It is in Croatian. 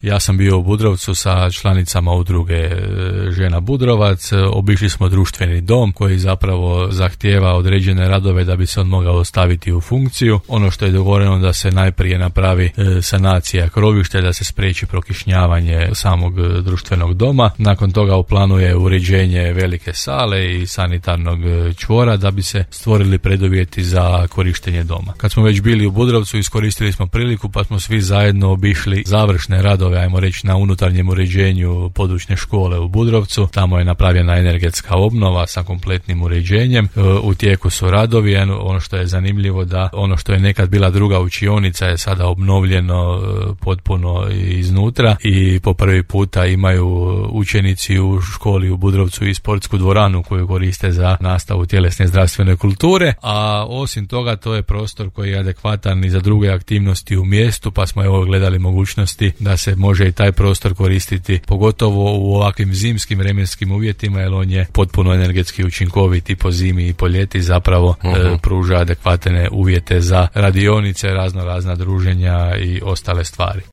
Ja sam bio u Budrovcu sa članicama udruge Žena Budrovac, obišli smo društveni dom koji zapravo zahtijeva određene radove da bi se on mogao staviti u funkciju. Ono što je dogovoreno da se najprije napravi sanacija krovišta, da se spriječi prokišnjavanje samog društvenog doma. Nakon toga u planu je uređenje velike sale i sanitarnog čvora da bi se stvorili preduvjeti za korištenje doma. Kad smo već bili u Budrovcu, iskoristili smo priliku pa smo svi zajedno obišli završne radove, ajmo reći, na unutarnjem uređenju područne škole u Budrovcu. Tamo je napravljena energetska obnova sa kompletnim uređenjem. U tijeku su radovi. Ono što je zanimljivo da ono što je nekad bila druga učionica je sada obnovljeno potpuno iznutra i po prvi puta imaju učenici u školi u Budrovcu i sportsku dvoranu koju koriste za nastavu tjelesne i zdravstvene kulture, a osim toga to je prostor koji je adekvatan i za druge aktivnosti u mjestu, pa smo evo gledali mogućnosti da se može i taj prostor koristiti, pogotovo u ovakvim zimskim vremenskim uvjetima, jer on je potpuno energetski učinkovit i po zimi i po ljeti, zapravo pruža adekvatne uvjete za radionice, razna druženja i ostale stvari.